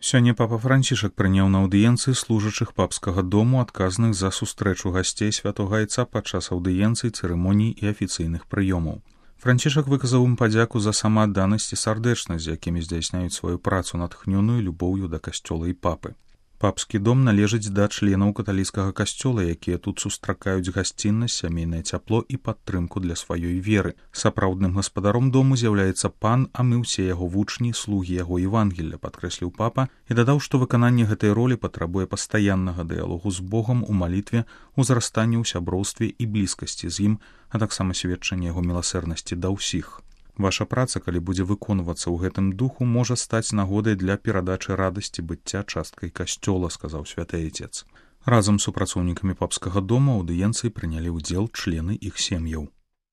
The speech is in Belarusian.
Сёння папа Францішак прыняў на аўдыенцыі служачых папскага дому, адказных за сустрэчу гасцей святога айца падчас аўдыенцый, цырымоній і афіцыйных прыёмаў. Францішак выказаў ім падзяку за самаадданасць і сардэчнасць, з якімі здзяйсняюць сваю працу, натхнёную любоўю да касцёла і папы. Папскі дом належыць да членаў каталіцкага касцёла, якія тут сустракаюць гасціннасць, сямейнае цяпло і падтрымку для сваёй веры. Сапраўдным гаспадаром дому з'яўляецца пан, а мы ўсе яго вучні, слугі яго Евангелля, падкрэсліў папа і дадаў, што выкананне гэтай ролі патрабуе пастаяннага дыялогу з Богам у малітве, узрастанні ў сяброўстве і блізкасці з ім, а таксама сведчанне яго міласэрнасці да ўсіх. Ваша праца, калі будзе выконвацца ў гэтым духу, можа стаць нагодай для перадачы радасці быцця часткай касцёла, сказаў святы айцец. Разам з супрацоўнікамі папскага дома аўдыенцыі прынялі ўдзел члены іх сем'яў.